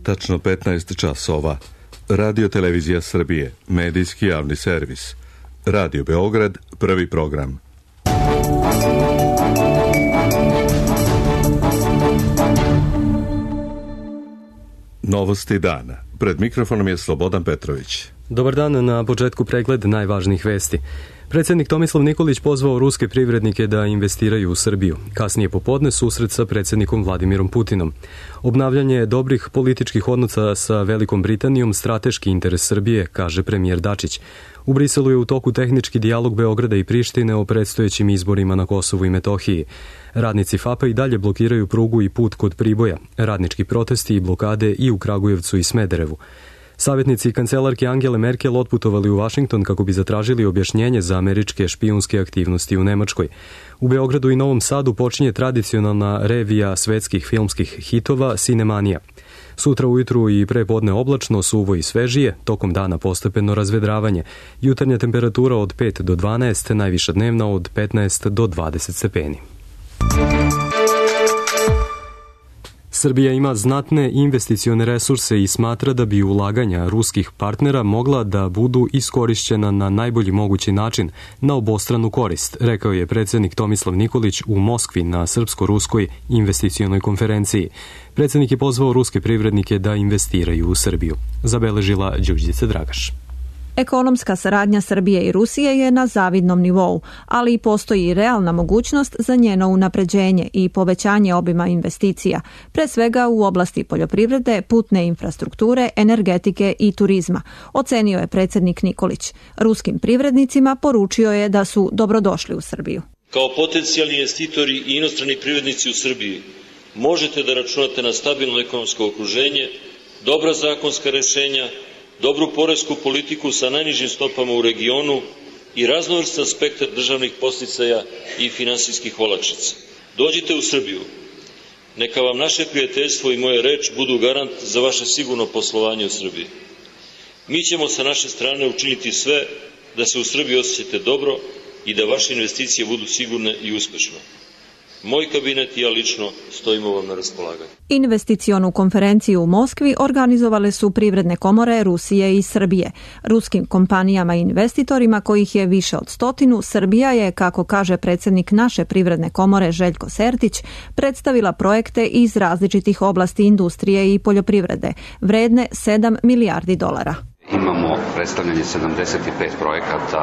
tačno 15 časova. Radio Televizija Srbije, medijski javni servis. Radio Beograd, prvi program. Novosti dana. Pred mikrofonom je Slobodan Petrović. Dobar dan, na početku pregled najvažnijih vesti. Predsjednik Tomislav Nikolić pozvao ruske privrednike da investiraju u Srbiju. Kasnije popodne susret sa predsjednikom Vladimirom Putinom. Obnavljanje dobrih političkih odnosa sa Velikom Britanijom strateški interes Srbije, kaže premijer Dačić. U Briselu je u toku tehnički dijalog Beograda i Prištine o predstojećim izborima na Kosovu i Metohiji. Radnici FAP-a i dalje blokiraju prugu i put kod Priboja. Radnički protesti i blokade i u Kragujevcu i Smederevu. Savjetnici kancelarke Angele Merkel otputovali u Vašington kako bi zatražili objašnjenje za američke špijunske aktivnosti u Nemačkoj. U Beogradu i Novom Sadu počinje tradicionalna revija svetskih filmskih hitova Cinemanija. Sutra ujutru i prepodne oblačno, suvo i svežije, tokom dana postepeno razvedravanje. Jutarnja temperatura od 5 do 12, najviša dnevna od 15 do 20 stepeni. Srbija ima znatne investicione resurse i smatra da bi ulaganja ruskih partnera mogla da budu iskorišćena na najbolji mogući način na obostranu korist, rekao je predsjednik Tomislav Nikolić u Moskvi na srpsko-ruskoj investicionoj konferenciji. Predsjednik je pozvao ruske privrednike da investiraju u Srbiju. Zabeležila Đurđica Dragaš. Ekonomska saradnja Srbije i Rusije je na zavidnom nivou, ali i postoji i realna mogućnost za njeno unapređenje i povećanje obima investicija, pre svega u oblasti poljoprivrede, putne infrastrukture, energetike i turizma, ocenio je predsjednik Nikolić. Ruskim privrednicima poručio je da su dobrodošli u Srbiju. Kao potencijalni investitori i inostrani privrednici u Srbiji možete da računate na stabilno ekonomsko okruženje, dobra zakonska rešenja, dobru poresku politiku sa najnižim stopama u regionu i raznovrstan spektar državnih podsticaja i finansijskih olakšica. Dođite u Srbiju. Neka vam naše prijateljstvo i moja reč budu garant za vaše sigurno poslovanje u Srbiji. Mi ćemo sa naše strane učiniti sve da se u Srbiji osjećate dobro i da vaše investicije budu sigurne i uspešne. Moj kabinet i ja lično stojimo vam na raspolaganju. Investicionu konferenciju u Moskvi organizovale su privredne komore Rusije i Srbije. Ruskim kompanijama i investitorima, kojih je više od 100, Srbija je, kako kaže predsjednik naše privredne komore Željko Sertić, predstavila projekte iz različitih oblasti industrije i poljoprivrede, vredne $7 milijardi. Imamo predstavljanje 75 projekata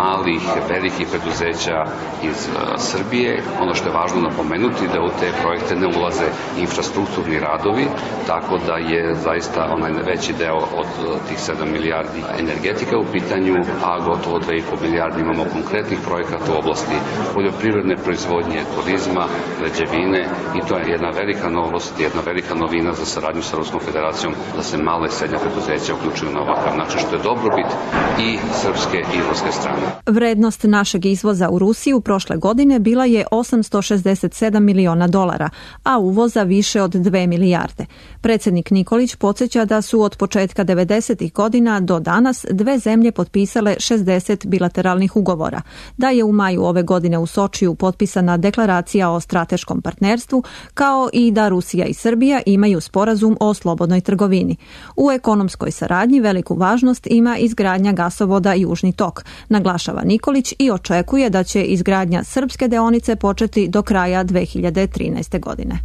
malih, velikih preduzeća iz Srbije. Ono što je važno napomenuti da u te projekte ne ulaze infrastrukturni radovi, tako da je zaista onaj veći deo od tih 7 milijardi energetika u pitanju, a gotovo 2,5 milijardi imamo konkretnih projekata u oblasti poljoprivredne proizvodnje, turizma, građevine i to je jedna velika novost, jedna velika novina za saradnju sa Ruskom federacijom da se male i srednje preduzeća uključuju na ovakav način, što je dobrobit i srpske i ruske strane. Vrednost našeg izvoza u Rusiju prošle godine bila je $867 miliona, a uvoza više od 2 milijarde. Predsjednik Nikolić podsjeća da su od početka 90. godina do danas dve zemlje potpisale 60 bilateralnih ugovora, da je u maju ove godine u Sočiju potpisana deklaracija o strateškom partnerstvu, kao i da Rusija i Srbija imaju sporazum o slobodnoj trgovini. U ekonomskoj saradnji veliku važnost ima izgradnja gasovoda Južni tok, naglašava Nikolić i očekuje da će izgradnja srpske deonice početi do kraja 2013. godine.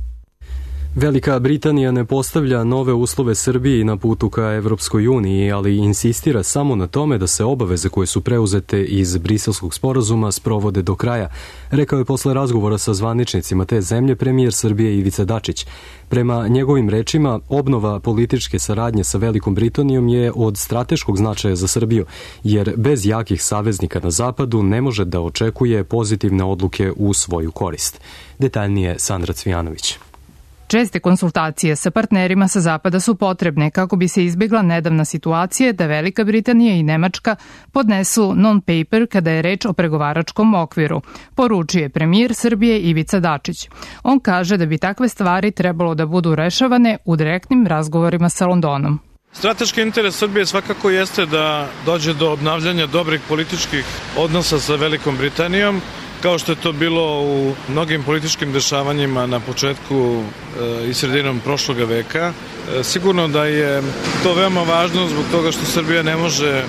Velika Britanija ne postavlja nove uslove Srbiji na putu ka Evropskoj uniji, ali insistira samo na tome da se obaveze koje su preuzete iz Briselskog sporazuma sprovode do kraja, rekao je posle razgovora sa zvaničnicima te zemlje premijer Srbije Ivica Dačić. Prema njegovim rečima, obnova političke saradnje sa Velikom Britanijom je od strateškog značaja za Srbiju, jer bez jakih saveznika na zapadu ne može da očekuje pozitivne odluke u svoju korist. Detaljnije Sandra Cvijanović. Česte konsultacije sa partnerima sa zapada su potrebne kako bi se izbjegla nedavna situacija da Velika Britanija i Nemačka podnesu non-paper kada je reč o pregovaračkom okviru, poručuje premijer Srbije Ivica Dačić. On kaže da bi takve stvari trebalo da budu rešavane u direktnim razgovorima sa Londonom. Strateški interes Srbije svakako jeste da dođe do obnavljanja dobrih političkih odnosa sa Velikom Britanijom kao što je to bilo u mnogim političkim dešavanjima na početku i sredinom prošloga veka. Sigurno da je to veoma važno zbog toga što Srbija ne može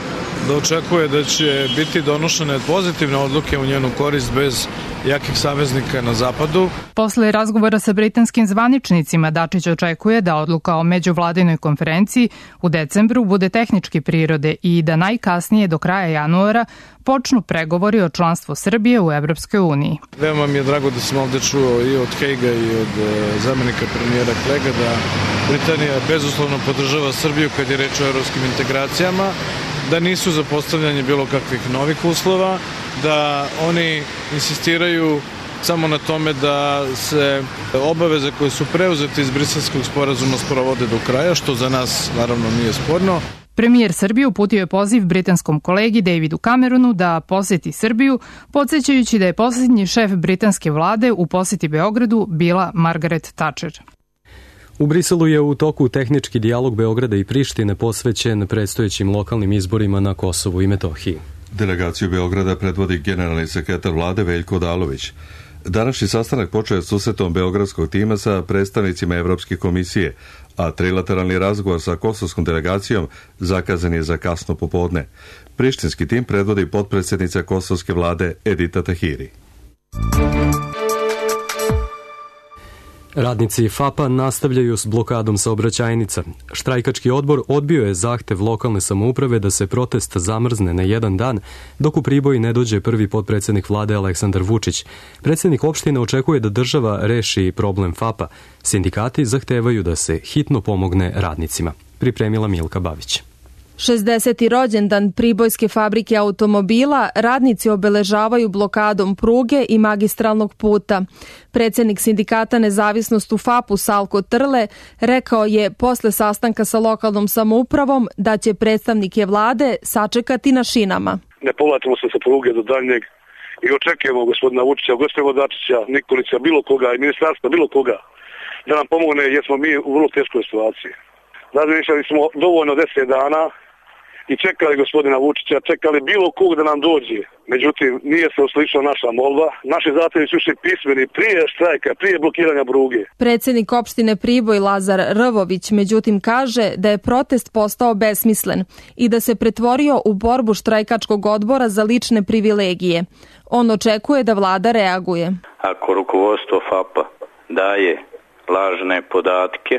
da očekuje da će biti donošene pozitivne odluke u njenu korist bez jakih saveznika na zapadu. Posle razgovora sa britanskim zvaničnicima, Dačić očekuje da odluka o međuvladinoj konferenciji u decembru bude tehničke prirode i da najkasnije do kraja januara počnu pregovori o članstvu Srbije u Evropskoj uniji. Veoma mi je drago da sam ovde čuo i od Hejga i od zamenika premijera Klega da Britanija bezuslovno podržava Srbiju kad je reč o evropskim integracijama, da nisu za postavljanje bilo kakvih novih uslova, da oni insistiraju samo na tome da se obaveze koje su preuzete iz Briselskog sporazuma sprovode do kraja, što za nas naravno nije sporno. Premijer Srbije uputio je poziv britanskom kolegi Davidu Cameronu da poseti Srbiju, podsjećajući da je posljednji šef britanske vlade u poseti Beogradu bila Margaret Thatcher. U Briselu je u toku tehnički dijalog Beograda i Prištine posvećen predstojećim lokalnim izborima na Kosovu i Metohiji. Delegaciju Beograda predvodi generalni sekretar vlade Veljko Odalović. Današnji sastanak počeo je susretom beogradskog tima sa predstavnicima Evropske komisije, a trilateralni razgovor sa kosovskom delegacijom zakazan je za kasno popodne. Prištinski tim predvodi potpredsjednica kosovske vlade Edita Tahiri. Radnici FAP-a nastavljaju s blokadom saobraćajnica. Štrajkački odbor odbio je zahtev lokalne samouprave da se protest zamrzne na jedan dan, dok u Priboj ne dođe prvi potpredsjednik vlade Aleksandar Vučić. Predsjednik opštine očekuje da država reši problem FAP-a. Sindikati zahtevaju da se hitno pomogne radnicima. Pripremila Milka Bavić. 60. rođendan Pribojske fabrike automobila radnici obeležavaju blokadom pruge i magistralnog puta. Predsjednik sindikata Nezavisnost u FAP-u Salko Trle rekao je posle sastanka sa lokalnom samoupravom da će predstavnike vlade sačekati na šinama. Ne povlačimo se sa pruge do daljnjeg i očekujemo gospodina Vučića, gospodina Dačića, Nikolića, bilo koga i ministarstva, bilo koga da nam pomogne jer smo mi u vrlo teškoj situaciji. Razmišljali smo dovoljno 10 dana i čekali gospodina Vučića, čekali bilo kog da nam dođe. Međutim, nije se uslišila naša molba. Naši zahtjevi su išli pismeni prije štrajka, prije blokiranja pruge. Predsjednik opštine Priboj Lazar Rvović međutim kaže da je protest postao besmislen i da se pretvorio u borbu štrajkačkog odbora za lične privilegije. On očekuje da vlada reaguje. Ako rukovodstvo FAP-a daje lažne podatke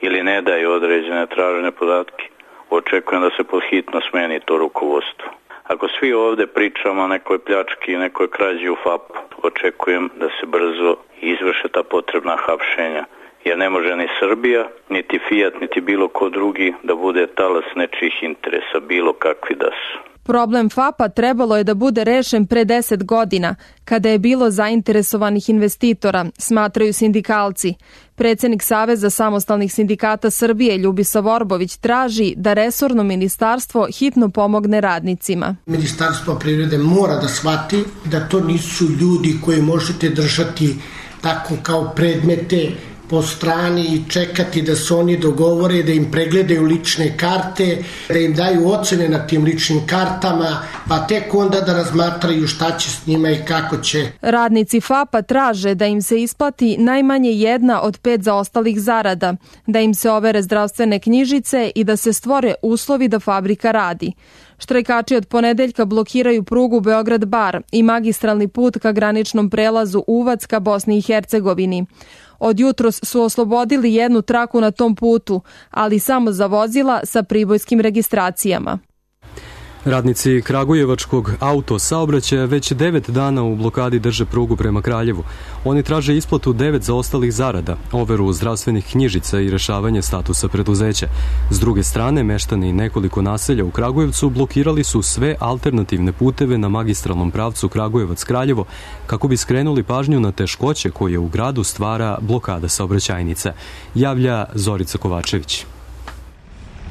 ili ne daje određene tražene podatke, očekujem da se podhitno smeni to rukovodstvo. Ako svi ovde pričamo o nekoj pljački i nekoj krađi u FAP, očekujem da se brzo izvrše ta potrebna hapšenja. Jer ne može ni Srbija, niti Fiat, niti bilo ko drugi da bude talas nečijih interesa, bilo kakvi da su. Problem FAP-a trebalo je da bude rešen pre 10 godina, kada je bilo zainteresovanih investitora, smatraju sindikalci. Predsjednik Saveza samostalnih sindikata Srbije Ljubisa Vorbović traži da resorno ministarstvo hitno pomogne radnicima. Ministarstvo privrede mora da shvati da to nisu ljudi koji možete držati tako kao predmete po strani i čekati da se oni dogovore, da im pregledaju lične karte, da im daju ocene na tim ličnim kartama, pa tek onda da razmatraju šta će s njima i kako će. Radnici FAP-a traže da im se isplati najmanje 1 od 5 zaostalih zarada, da im se overe zdravstvene knjižice i da se stvore uslovi da fabrika radi. Štrajkači od ponedeljka blokiraju prugu Beograd-Bar i magistralni put ka graničnom prelazu Uvac ka Bosni i Hercegovini. Od jutros su oslobodili jednu traku na tom putu, ali samo za vozila sa pribojskim registracijama. Radnici Kragujevačkog autosaobraćaja već 9 dana u blokadi drže prugu prema Kraljevu. Oni traže isplatu 9 zaostalih zarada, overu zdravstvenih knjižica i rešavanje statusa preduzeća. S druge strane, meštani nekoliko naselja u Kragujevcu blokirali su sve alternativne puteve na magistralnom pravcu Kragujevac-Kraljevo kako bi skrenuli pažnju na teškoće koje u gradu stvara blokada saobraćajnica, javlja Zorica Kovačević.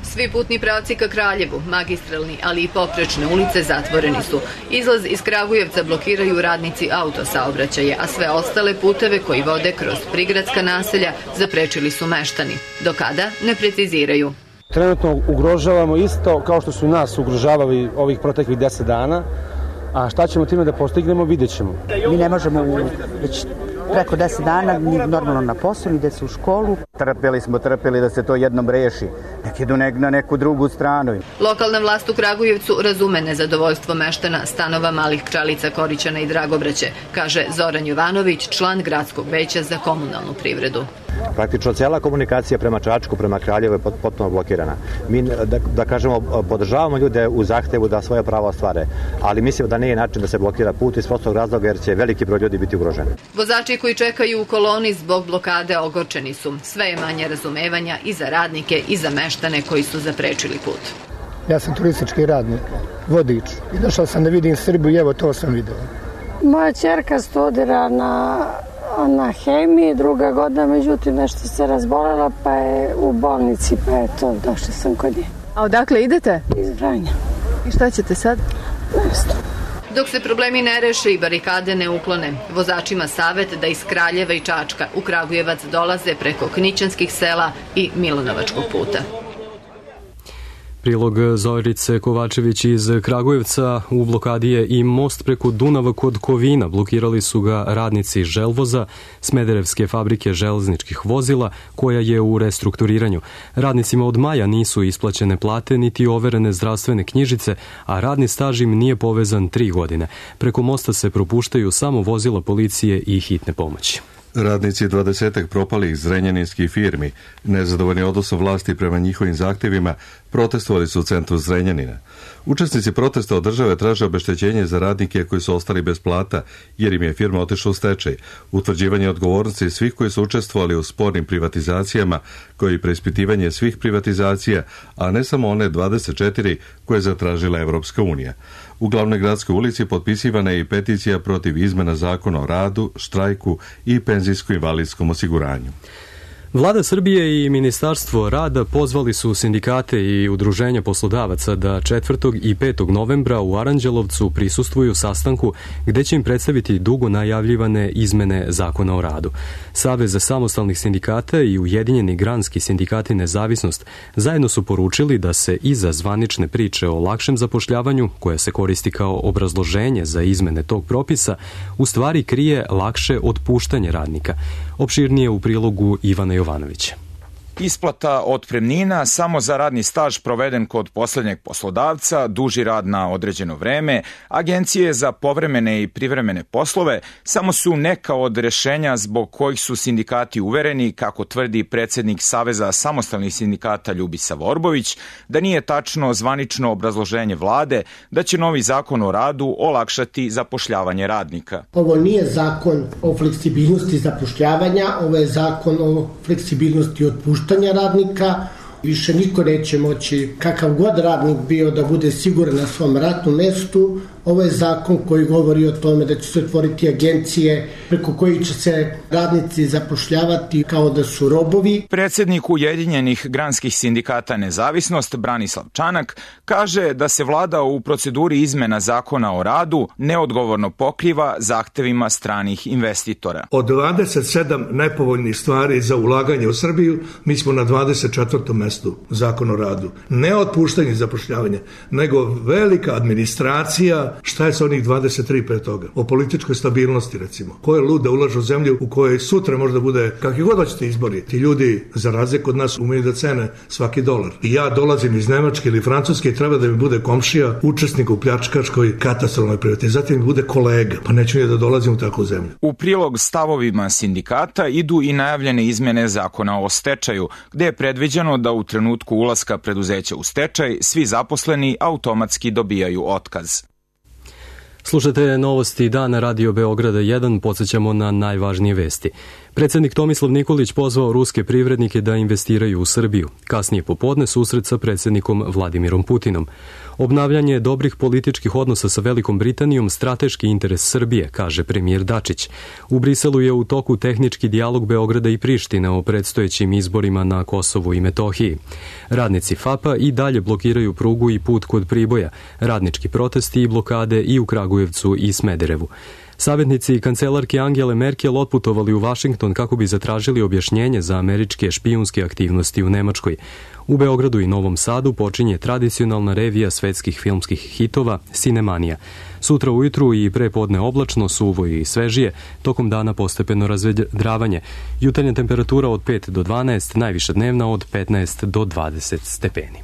Svi putni pravci ka Kraljevu, magistralni, ali i poprečne ulice zatvoreni su. Izlaz iz Kragujevca blokiraju radnici autosaobraćaja, a sve ostale puteve koji vode kroz prigradska naselja zaprečili su meštani. Do kada ne preciziraju. Trenutno ugrožavamo isto kao što su nas ugrožavali ovih proteklih 10 dana, A šta ćemo time da postignemo, vidjet ćemo. Mi ne možemo već preko 10 dana ni normalno na posao, ni deca u školu. Trpeli da se to jednom reši. Nek idu na neku drugu stranu. Lokalna vlast u Kragujevcu razume nezadovoljstvo meštana stanova Malih Čalica, Korićana i Dragobraće, kaže Zoran Jovanović, član gradskog veća za komunalnu privredu. Praktično cijela komunikacija prema Čačku, prema Kraljevu je potpuno blokirana. Mi, da kažemo, podržavamo ljude u zahtevu da svoje prava ostvare, ali mislim da nije način da se blokira put iz prostog razloga jer će veliki broj ljudi biti ugroženi. Vozači koji čekaju u koloni zbog blokade ogorčeni su. Sve je manje razumevanja i za radnike i za meštane koji su zaprečili put. Ja sam turistički radnik, vodič i došao sam da vidim Srbiju i evo to sam vidio. Moja ćerka studira na hemiji, druga godina, međutim nešto se razbolela pa je u bolnici, pa je to, došla sam kod nje. A odakle idete? Iz Vranja. I šta ćete sad? Nešto. Dok se problemi ne reše i barikade ne uklone, vozačima savet da iz Kraljeva i Čačka u Kragujevac dolaze preko Knićanskih sela i Milanovačkog puta. Prilog Zorice Kovačević iz Kragujevca. U blokadi je i most preko Dunava kod Kovina. Blokirali su ga radnici Želvoza, Smederevske fabrike železničkih vozila, koja je u restrukturiranju. Radnicima od maja nisu isplaćene plate niti overene zdravstvene knjižice, a radni staž im nije povezan 3 godine. Preko mosta se propuštaju samo vozila policije i hitne pomoći. Radnici 20 propalih zrenjaninskih firmi, nezadovoljni odnosom vlasti prema njihovim zahtjevima, protestovali su u centru Zrenjanina. Učesnici protesta od države traže obeštećenje za radnike koji su ostali bez plata, jer im je firma otišla u stečaj, utvrđivanje odgovornosti svih koji su učestvovali u spornim privatizacijama, koji i preispitivanje svih privatizacija, a ne samo one 24 koje je zatražila Evropska unija. U glavnoj gradskoj ulici potpisivana je i peticija protiv izmena zakona o radu, štrajku i penzijsko-invalidskom osiguranju. Vlada Srbije i Ministarstvo rada pozvali su sindikate i udruženja poslodavaca da 4. i 5. novembra u Aranđelovcu prisustvuju sastanku gde će im predstaviti dugo najavljivane izmene zakona o radu. Savez samostalnih sindikata i Ujedinjeni granski sindikati Nezavisnost zajedno su poručili da se iza zvanične priče o lakšem zapošljavanju, koja se koristi kao obrazloženje za izmene tog propisa, u stvari krije lakše otpuštanje radnika. Opširnije u prilogu Ivana Jovanovića. Isplata otpremnina samo za radni staž proveden kod poslednjeg poslodavca, duži rad na određeno vreme, agencije za povremene i privremene poslove samo su neka od rešenja zbog kojih su sindikati uvereni, kako tvrdi predsednik Saveza samostalnih sindikata Ljubisa Vorbović, da nije tačno zvanično obrazloženje vlade da će novi zakon o radu olakšati zapošljavanje radnika. Ovo nije zakon o fleksibilnosti zapošljavanja, ovo je zakon o fleksibilnosti otpuštanja radnika. Više niko neće moći, kakav god radnik bio, da bude siguran na svom radnom mestu. Ovo je zakon koji govori o tome da će se otvoriti agencije preko kojih će se radnici zapošljavati kao da su robovi. Predsednik Ujedinjenih granskih sindikata Nezavisnost Branislav Čanak kaže da se vlada u proceduri izmena zakona o radu neodgovorno pokriva zahtevima stranih investitora. Od 27 nepovoljnih stvari za ulaganje u Srbiju, mi smo na 24. mestu zakona o radu. Ne otpuštanje i zapošljavanje, nego velika administracija. Šta je sa onih 23 pre toga? O političkoj stabilnosti, recimo. Ko je lud da ulaže u zemlju u kojoj sutra možda bude kakvi god hoćete izbori? Ti ljudi, za razliku od nas, umeju da cene svaki dolar. I ja dolazim iz Nemačke ili Francuske i treba da mi bude komšija, učesnik u pljačkaškoj katastrofalnoj privatizaciji, mi bude kolega. Pa neću ni da dolazim u takvu zemlju. U prilog stavovima sindikata idu i najavljene izmene zakona o stečaju, gde je predviđeno da u trenutku ulaska preduzeća u stečaj svi zaposleni automatski dobijaju otkaz. Slušate novosti dana Radio Beograda 1, podsjećamo na najvažnije vesti. Predsednik Tomislav Nikolić pozvao ruske privrednike da investiraju u Srbiju. Kasnije popodne susret sa predsednikom Vladimirom Putinom. Obnavljanje dobrih političkih odnosa sa Velikom Britanijom strateški interes Srbije, kaže premijer Dačić. U Briselu je u toku tehnički dijalog Beograda i Prištine o predstojećim izborima na Kosovu i Metohiji. Radnici FAP-a i dalje blokiraju prugu i put kod Priboja, radnički protesti i blokade i u Kragujevcu i Smederevu. Savjetnici kancelarke Angele Merkel otputovali u Vašington kako bi zatražili objašnjenje za američke špijunske aktivnosti u Nemačkoj. U Beogradu i Novom Sadu počinje tradicionalna revija svetskih filmskih hitova Cinemanija. Sutra ujutru i prepodne oblačno, suvo i svežije, tokom dana postepeno razvedravanje. Jutarnja temperatura od 5 do 12, najviša dnevna od 15 do 20 stepeni.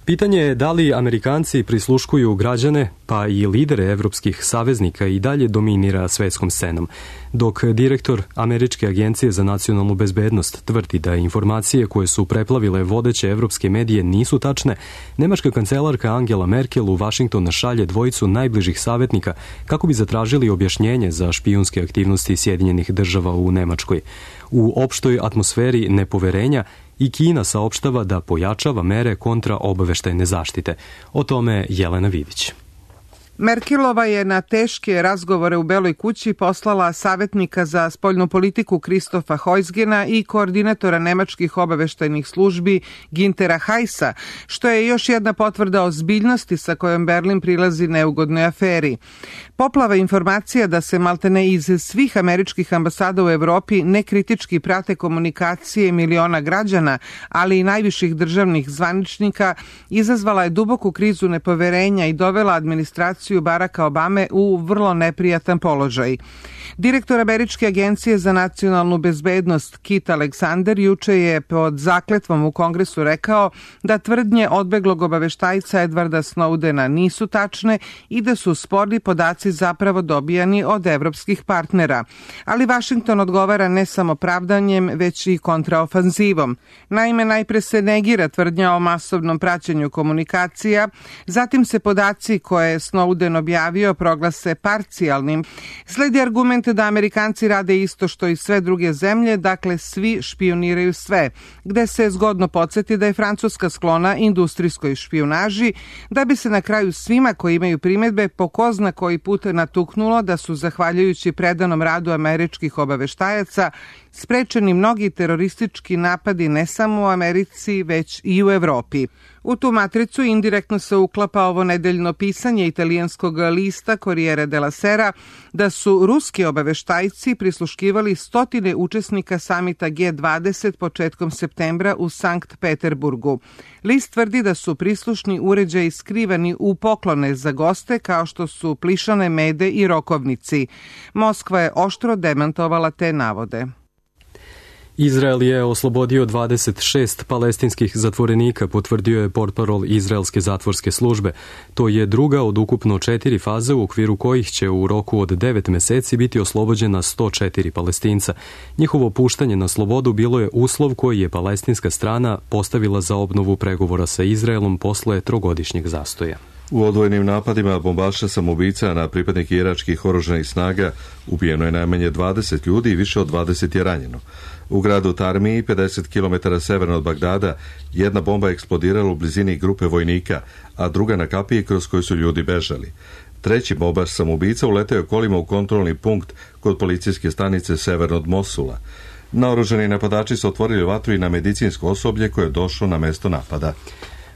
Pitanje je da li Amerikanci prisluškuju građane, pa i lidere evropskih saveznika i dalje dominira svetskom scenom. Dok direktor Američke agencije za nacionalnu bezbednost tvrdi da informacije koje su preplavile vodeće evropske medije nisu tačne, nemačka kancelarka Angela Merkel u Vašington šalje dvojicu najbližih savetnika kako bi zatražili objašnjenje za špijunske aktivnosti Sjedinjenih država u Nemačkoj. U opštoj atmosferi nepoverenja i Kina saopštava da pojačava mere kontra obaveštajne zaštite. O tome Jelena Vidić. Merkelova je na teške razgovore u Beloj kući poslala savetnika za spoljnu politiku Kristofa Heusgena i koordinatora nemačkih obaveštajnih službi Gintera Heisa, što je još jedna potvrda ozbiljnosti sa kojom Berlin prilazi neugodnoj aferi. Poplava informacija da se maltene iz svih američkih ambasada u Evropi nekritički prate komunikacije miliona građana, ali i najviših državnih zvaničnika, izazvala je duboku krizu nepoverenja i dovela administraciju Baracka Obame u vrlo neprijatan položaj. Direktor Američke agencije za nacionalnu bezbednost Kit Alexander juče je pod zakletvom u Kongresu rekao da tvrdnje odbeglog obaveštajca Edwarda Snowdena nisu tačne i da su sporni podaci zapravo dobijani od evropskih partnera. Ali Vašington odgovara ne samo pravdanjem, već i kontraofanzivom. Naime, najpre se negira tvrdnja o masovnom praćenju komunikacija, zatim se podaci koje je Snowden objavio proglase parcijalnim. Sledi argument da Amerikanci rade isto što i sve druge zemlje, dakle svi špijuniraju sve, gde se zgodno podsjeti da je Francuska sklona industrijskoj špijunaži, da bi se na kraju svima koji imaju primedbe po ko zna koji put natuknulo da su zahvaljujući predanom radu američkih obaveštajaca sprečeni mnogi teroristički napadi ne samo u Americi, već i u Evropi. U tu matricu indirektno se uklapa ovo nedeljno pisanje italijanskog lista Corriere della Sera da su ruski obaveštajci prisluškivali stotine učesnika samita G20 početkom septembra u Sankt Peterburgu. List tvrdi da su prislušni uređaji skrivani u poklone za goste kao što su plišane mede i rokovnici. Moskva je oštro demantovala te navode. Izrael je oslobodio 26 palestinskih zatvorenika, potvrdio je portparol izraelske zatvorske službe. To je druga od ukupno 4 faze u okviru kojih će u roku od 9 meseci biti oslobođena 104 Palestinca. Njihovo puštanje na slobodu bilo je uslov koji je palestinska strana postavila za obnovu pregovora sa Izraelom posle trogodišnjeg zastoja. U odvojenim napadima bombaša samoubica na pripadnike iračkih oružanih snaga ubijeno je najmanje 20 ljudi i više od 20 je ranjeno. U gradu Tarmiji, 50 km severno od Bagdada, jedna bomba eksplodirala u blizini grupe vojnika, a druga na kapiji kroz koju su ljudi bežali. Treći bombaš samoubica uleteo je kolima u kontrolni punkt kod policijske stanice severno od Mosula. Naoružani napadači su otvorili vatru i na medicinsko osoblje koje je došlo na mesto napada.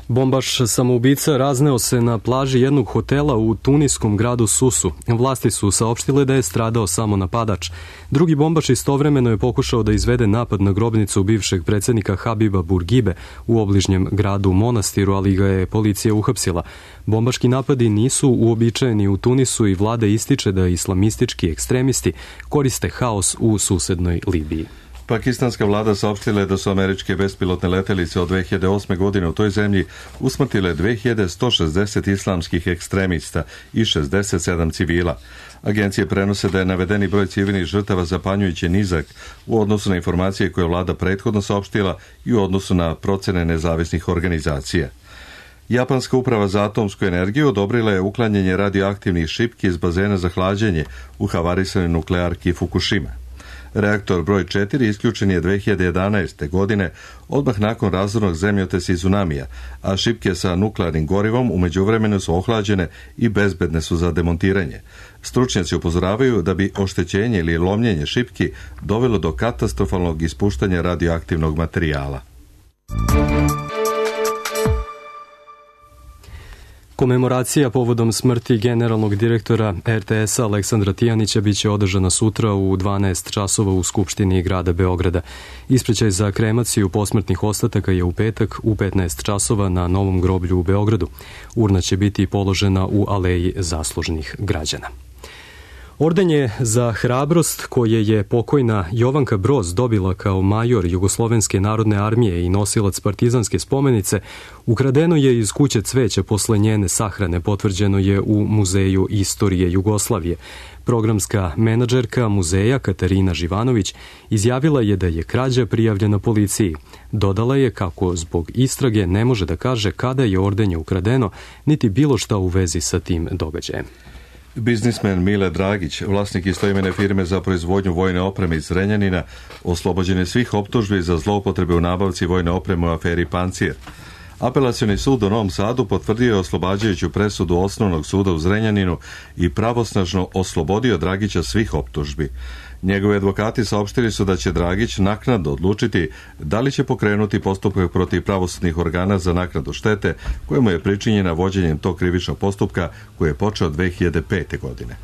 Bombaš samoubica razneo se na plaži jednog hotela u tuniskom gradu Susu. Vlasti su saopštile da je stradao samo napadač. Drugi bombaš istovremeno je pokušao da izvede napad na grobnicu bivšeg predsjednika Habiba Bourguibe u obližnjem gradu Monastiru, ali ga je policija uhapsila. Bombaški napadi nisu uobičajeni u Tunisu i vlada ističe da islamistički ekstremisti koriste haos u susednoj Libiji. Pakistanska vlada saopštila je da su američke bespilotne letelice od 2008. godine u toj zemlji usmrtile 2160 islamskih ekstremista i 67 civila. Agencije prenose da je navedeni broj civilnih žrtava zapanjujuće nizak u odnosu na informacije koje je vlada prethodno saopštila i u odnosu na procene nezavisnih organizacija. Japanska uprava za atomsku energiju odobrila je uklanjanje radioaktivnih šipki iz bazena za hlađenje u havarisanoj nuklearki Fukushima. Reaktor broj 4 isključen je 2011. godine, odmah nakon razornog zemljotresa i tsunamija, a šipke sa nuklearnim gorivom u međuvremenu su ohlađene i bezbedne su za demontiranje. Stručnjaci upozoravaju da bi oštećenje ili lomljenje šipki dovelo do katastrofalnog ispuštanja radioaktivnog materijala. Komemoracija povodom smrti generalnog direktora RTS-a Aleksandra Tijanića biće održana sutra u 12 časova u Skupštini grada Beograda. Ispraćaj za kremaciju posmrtnih ostataka je u petak u 15 časova na Novom groblju u Beogradu. Urna će biti položena u Aleji zaslužnih građana. Orden je za hrabrost koje je pokojna Jovanka Broz dobila kao major Jugoslovenske narodne armije i nosilac partizanske spomenice ukradeno je iz kuće cveća posle njene sahrane, potvrđeno je u Muzeju istorije Jugoslavije. Programska menadžerka muzeja Katarina Živanović izjavila je da je krađa prijavljena policiji. Dodala je kako zbog istrage ne može da kaže kada je ordenje ukradeno, niti bilo šta u vezi sa tim događajem. Biznismen Mile Dragić, vlasnik istoimene firme za proizvodnju vojne opreme iz Zrenjanina, oslobođen je svih optužbi za zloupotrebe u nabavci vojne opreme u aferi Pancir. Apelacioni sud u Novom Sadu potvrdio je oslobađajuću presudu Osnovnog suda u Zrenjaninu i pravosnažno oslobodio Dragića svih optužbi. Njegovi advokati saopštili su da će Dragić naknadno odlučiti da li će pokrenuti postupak protiv pravosudnih organa za naknadu štete kojemu je pričinjena vođenjem tog krivičnog postupka koji je počeo 2005. godine.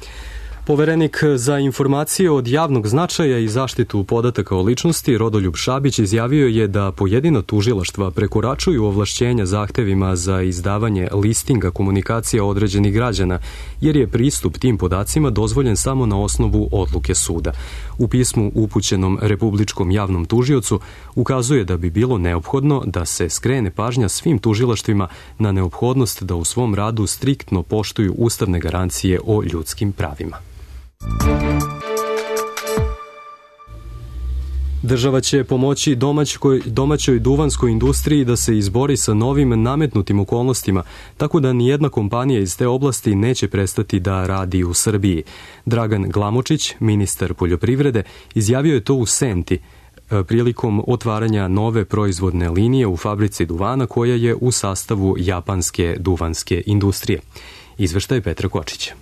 Poverenik za informacije od javnog značaja i zaštitu podataka o ličnosti Rodoljub Šabić izjavio je da pojedina tužilaštva prekoračuju ovlašćenja zahtevima za izdavanje listinga komunikacija određenih građana, jer je pristup tim podacima dozvoljen samo na osnovu odluke suda. U pismu upućenom Republičkom javnom tužiocu ukazuje da bi bilo neophodno da se skrene pažnja svim tužilaštvima na neophodnost da u svom radu striktno poštuju ustavne garancije o ljudskim pravima. Država će pomoći domaćoj duvanskoj industriji da se izbori sa novim nametnutim okolnostima, tako da nijedna kompanija iz te oblasti neće prestati da radi u Srbiji. Dragan Glamočić, ministar poljoprivrede, izjavio je to u Senti prilikom otvaranja nove proizvodne linije u fabrici duvana koja je u sastavu japanske duvanske industrije. Izveštaj Petra Kočića.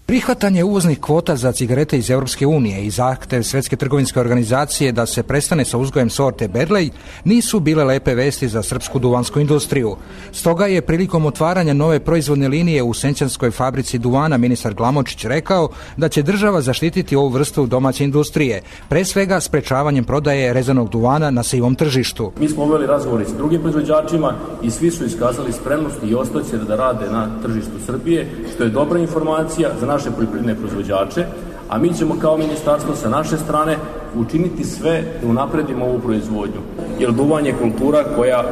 Prihvatanje uvoznih kvota za cigarete iz Europske unije i zahtev Svetske trgovinske organizacije da se prestane sa uzgojem sorte Berlej nisu bile lepe vesti za srpsku duvansku industriju. Stoga je prilikom otvaranja nove proizvodne linije u senčanskoj fabrici duvana ministar Glamočić rekao da će država zaštititi ovu vrstu domaće industrije, pre svega sprečavanjem prodaje rezanog duvana na sivom tržištu. Mi smo uveli razgovori s drugim proizvođačima i svi su iskazali spremnost i ostaće da rade na tržištu Srbije, što je dobra informacija za naše poljoprivredne proizvođače, a mi ćemo kao ministarstvo sa naše strane učiniti sve da unapredimo ovu proizvodnju. Jer duvan je kultura koja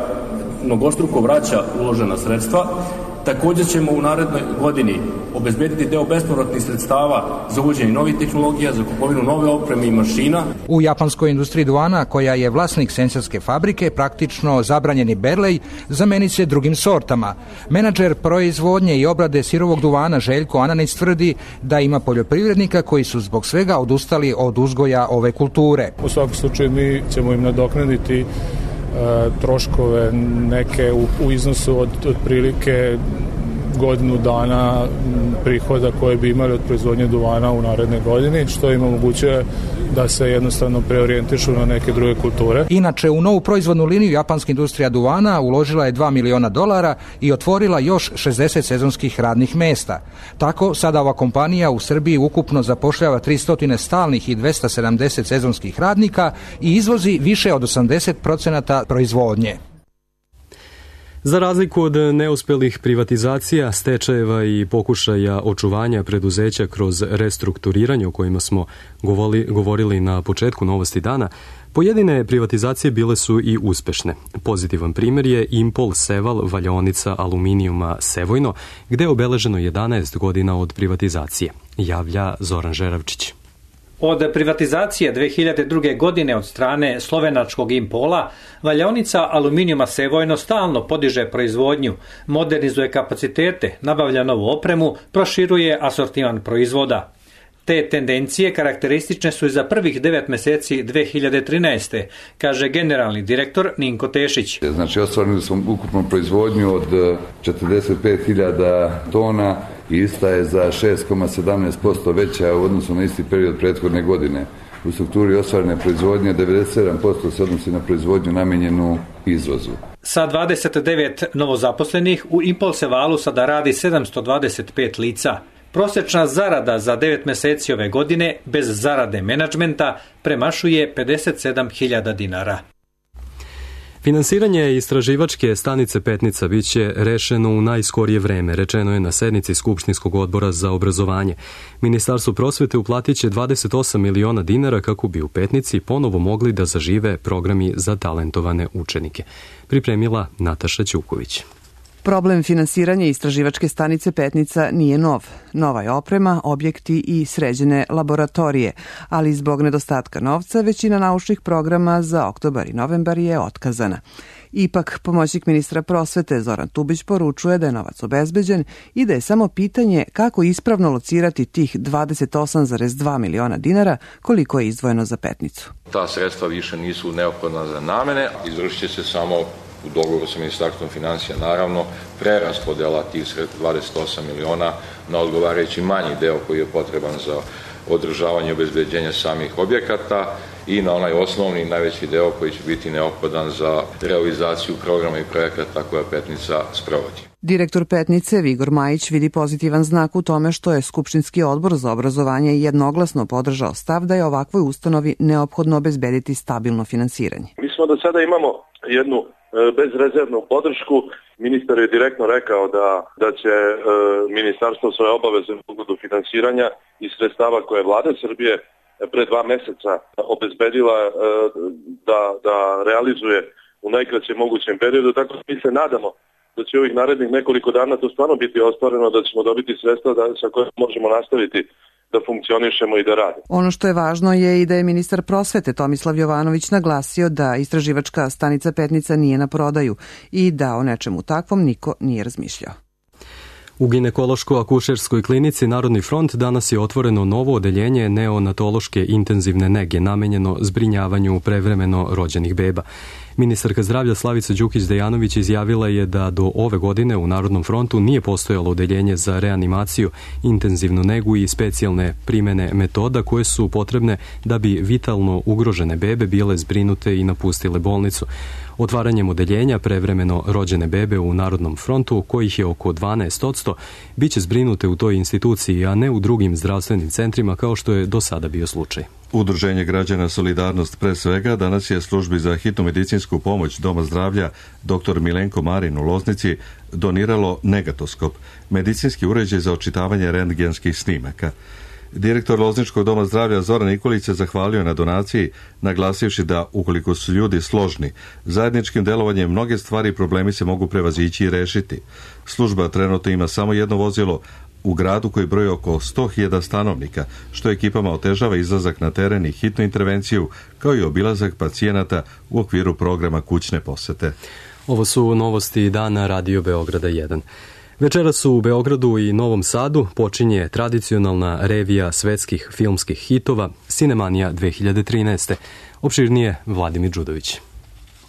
mnogostruko vraća uložena sredstva. Također ćemo u narednoj godini obezbediti deo bespovratnih sredstava za uvođenje novih tehnologija, za kupovinu nove opreme i mašina. U japanskoj industriji duvana, koja je vlasnik senčanske fabrike, praktično zabranjeni Berlej zamenit će drugim sortama. Menadžer proizvodnje i obrade sirovog duvana Željko Ananić tvrdi da ima poljoprivrednika koji su zbog svega odustali od uzgoja ove kulture. U svakom slučaju mi ćemo im nadoknaditi troškove neke u iznosu od otprilike godinu dana prihoda koje bi imali od proizvodnje duvana u naredne godini, što im omogućuje da se jednostavno preorijentišu na neke druge kulture. Inače, u novu proizvodnu liniju japanska industrija duvana uložila je $2 miliona i otvorila još 60 sezonskih radnih mesta. Tako, sada ova kompanija u Srbiji ukupno zapošljava 300 stalnih i 270 sezonskih radnika i izvozi više od 80% proizvodnje. Za razliku od neuspelih privatizacija, stečajeva i pokušaja očuvanja preduzeća kroz restrukturiranje o kojima smo govorili na početku Novosti dana, pojedine privatizacije bile su i uspešne. Pozitivan primjer je Impol Seval valjaonica aluminijuma Sevojno, gde je obeleženo 11 godina od privatizacije, javlja Zoran Žeravčić. Od privatizacije 2002. godine od strane slovenačkog Impola, valjaonica aluminijuma Sevojno stalno podiže proizvodnju, modernizuje kapacitete, nabavlja novu opremu, proširuje asortiman proizvoda. Te tendencije karakteristične su i za prvih 9 meseci 2013. kaže generalni direktor Ninko Tešić. Znači, ostvarili smo ukupnu proizvodnju od 45.000 tona i ista je za 6,17% veća u odnosu na isti period prethodne godine. U strukturi ostvarene proizvodnje 97% se odnosi na proizvodnju namijenjenu izvozu. Sa 29 novozaposlenih u Impulsevalu sada radi 725 lica. Prosječna zarada za 9 meseci ove godine bez zarade menadžmenta premašuje 57.000 dinara. Finansiranje istraživačke stanice Petnica biće rešeno u najskorije vreme, rečeno je na sednici Skupštinskog odbora za obrazovanje. Ministarstvo prosvete uplatit će 28 miliona dinara kako bi u Petnici ponovo mogli da zažive programi za talentovane učenike. Pripremila Nataša Ćuković. Problem finansiranja istraživačke stanice Petnica nije nov. Nova je oprema, objekti i sređene laboratorije, ali zbog nedostatka novca većina naučnih programa za oktobar i novembar je otkazana. Ipak, pomoćnik ministra prosvete Zoran Tubić poručuje da je novac obezbeđen i da je samo pitanje kako ispravno locirati tih 28,2 miliona dinara koliko je izdvojeno za Petnicu. Ta sredstva više nisu neophodna za namene, izvršit će se samo u dogovoru sa Ministarstvom financija, naravno, preraspodela tih 28 miliona na odgovarajući manji deo koji je potreban za održavanje i obezbeđenje samih objekata i na onaj osnovni najveći deo koji će biti neophodan za realizaciju programa i projekata koja Petnica sprovodi. Direktor Petnice Vigor Majić vidi pozitivan znak u tome što je Skupštinski odbor za obrazovanje jednoglasno podržao stav da je ovakvoj ustanovi neophodno obezbediti stabilno finansiranje. Mi do sada imamo jednu bezrezervnu podršku. Ministar je direktno rekao da će ministarstvo svoje obaveze u pogledu finansiranja i sredstava koje je vlada Srbije pre 2 meseca obezbedila da realizuje u najkraćem mogućem periodu. Tako mi se nadamo da će ovih narednih nekoliko dana to stvarno biti ostvareno, da ćemo dobiti sredstva sa kojima možemo nastaviti da funkcionišemo i da radimo. Ono što je važno je i da je ministar prosvete Tomislav Jovanović naglasio da istraživačka stanica Petnica nije na prodaju i da o nečemu takvom niko nije razmišljao. U ginekološko-akušerskoj klinici Narodni front danas je otvoreno novo odeljenje neonatološke intenzivne nege namenjeno zbrinjavanju prevremeno rođenih beba. Ministarka zdravlja Slavica Đukić-Dejanović izjavila je da do ove godine u Narodnom frontu nije postojalo odeljenje za reanimaciju, intenzivnu negu i specijalne primene metoda koje su potrebne da bi vitalno ugrožene bebe bile zbrinute i napustile bolnicu. Otvaranjem odeljenja prevremeno rođene bebe u Narodnom frontu, kojih je oko 12%, bit će zbrinute u toj instituciji, a ne u drugim zdravstvenim centrima kao što je do sada bio slučaj. Udruženje građana Solidarnost pre svega danas je službi za hitnu medicinsku pomoć Doma zdravlja dr. Milenko Marin u Loznici doniralo negatoskop, medicinski uređaj za očitavanje rentgenskih snimaka. Direktor Lozničkog doma zdravlja Zoran Nikolić se zahvalio na donaciji, naglasivši da ukoliko su ljudi složni, zajedničkim delovanjem mnoge stvari i problemi se mogu prevazići i rešiti. Služba trenutno ima samo jedno vozilo u gradu koji broji oko 100.000 stanovnika, što ekipama otežava izlazak na teren i hitnu intervenciju, kao i obilazak pacijenata u okviru programa kućne posete. Ovo su novosti dana Radio Beograda 1. Večeras u Beogradu i Novom Sadu počinje tradicionalna revija svetskih filmskih hitova Cinemanija 2013. Opširnije Vladimir Đudović.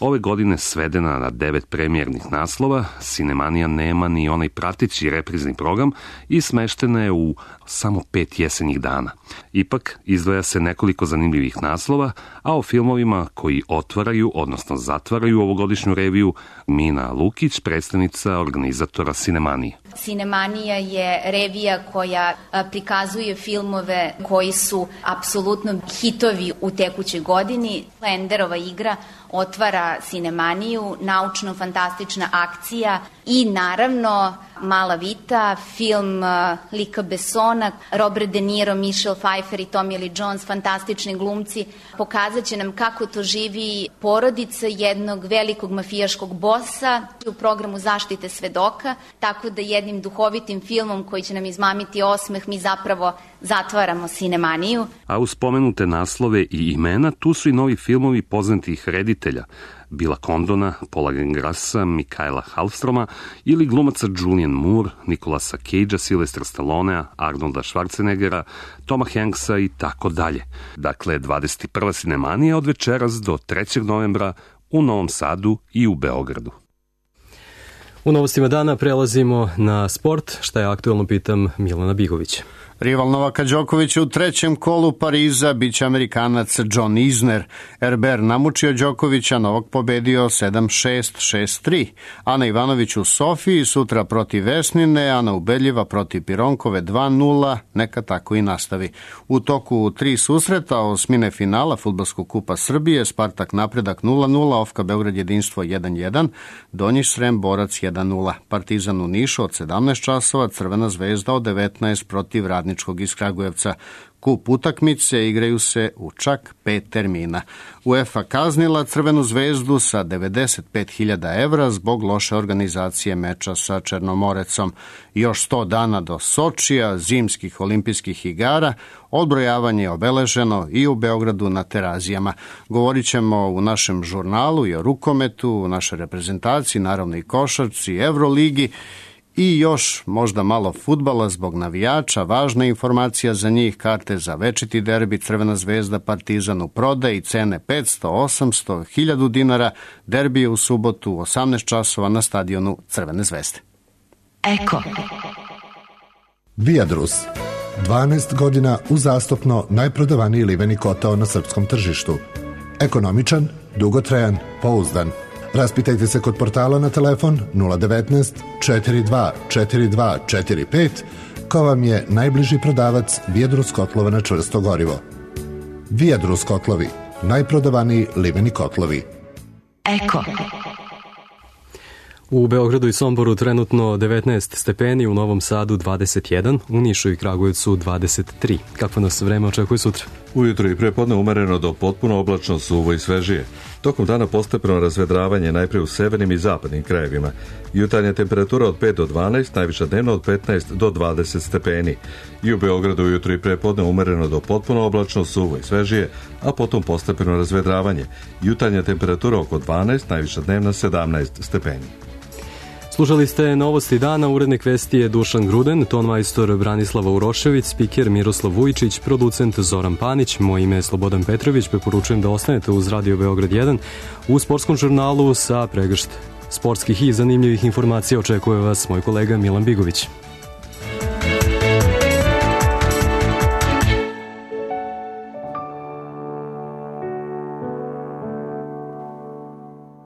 Ove godine svedena na 9 premijernih naslova, Cinemanija nema ni onaj prateći reprizni program i smeštena je u samo 5 jesenjih dana. Ipak, izdvaja se nekoliko zanimljivih naslova, a o filmovima koji otvaraju, odnosno zatvaraju ovogodišnju reviju, Mina Lukić, predstavnica organizatora Cinemanije. Cinemanija je revija koja prikazuje filmove koji su apsolutno hitovi u tekućoj godini. Enderova igra otvara Cinemaniju, naučno-fantastična akcija i naravno Mala Vita, film Luca Bessona, Robert De Niro, Michelle Pfeiffer i Tommy Lee Jones, fantastični glumci, pokazat će nam kako to živi porodica jednog velikog mafijaškog bosa u programu zaštite svedoka, tako da jednim duhovitim filmom koji će nam izmamiti osmeh mi zapravo zatvaramo Cinemaniju. A uz spomenute naslove i imena, tu su i novi filmovi poznatih reditelja, Billa Condona, Paula Greengrassa, Mikaela Halfstroma ili glumaca Julian Moore, Nicolasa Cagea, Sylvestra Stallonea, Arnolda Schwarzeneggera, Toma Hanksa i tako dalje. Dakle, 21. Cinemanija od večeras do 3. novembra u Novom Sadu i u Beogradu. U novostima dana prelazimo na sport, šta je aktuelno, pitam Milana Bigovića. Rival Novaka Đokovića u trećem kolu Pariza biće Amerikanac John Isner. Herbert namučio Đokovića, Novak pobedio 7-6, 6-3. Ana Ivanović u Sofiji sutra protiv Vesnine, Ana Ubedljiva protiv Pironkove 2-0, neka tako i nastavi. U toku 3 susreta osmine finala Fudbalskog kupa Srbije, Spartak Napredak 0-0, Ofka Beograd Jedinstvo 1-1, Donji Srem Borac 1-0, Partizan u Nišu od 17 časova, Crvena zvezda od 19 protiv Radničkog iz Kragujevca. Kup utakmice igraju se u čak 5 termina. UEFA kaznila Crvenu zvezdu sa 95.000 evra zbog loše organizacije meča sa Černomorecom. Još 100 dana do Sočija, zimskih olimpijskih igara, odbrojavanje je obeleženo i u Beogradu na Terazijama. Govorit ćemo u našem žurnalu i o rukometu, u našoj reprezentaciji, naravno i košarci, Evroligi, i još možda malo fudbala zbog navijača, važna informacija za njih, karte za večiti derbi Crvena zvezda Partizan u prodaji, cene 500, 800, 1000 dinara, derbi je u subotu u 18 časova na stadionu Crvene zvezde. Eko. Viadrus. 12 godina uzastopno najprodavaniji liveni kotao na srpskom tržištu. Ekonomičan, dugotrajan, pouzdan. Raspitajte se kod portala na telefon 019 42 42 45 ko vam je najbliži prodavac Viadrus kotlova na čvrsto gorivo. Viadrus kotlovi, najprodavaniji liveni kotlovi. Eko. U Beogradu i Somboru trenutno 19 stepeni, u Novom Sadu 21, u Nišu i Kragujevcu 23. Kakvo nas vreme očekuje sutra? Ujutro i prepodne umereno do potpuno oblačno, suvo i svežije. Tokom dana postepeno razvedravanje najprije u severnim i zapadnim krajevima. Jutarnja temperatura od 5 do 12, najviša dnevno od 15 do 20 stepeni. I u Beogradu ujutro i prepodne umereno do potpuno oblačno, suvo i svežije, a potom postepeno razvedravanje. Jutarnja temperatura oko 12, najviša dnevna 17 stepeni. Slušali ste Novosti dana, urednik vesti je Dušan Gruden, tonmajstor Branislava Urošević, spiker Miroslav Vujičić, producent Zoran Panić, moje ime je Slobodan Petrović, preporučujem da ostanete uz Radio Beograd 1. U sportskom žurnalu sa pregršt sportskih i zanimljivih informacija očekuje vas moj kolega Milan Bigović.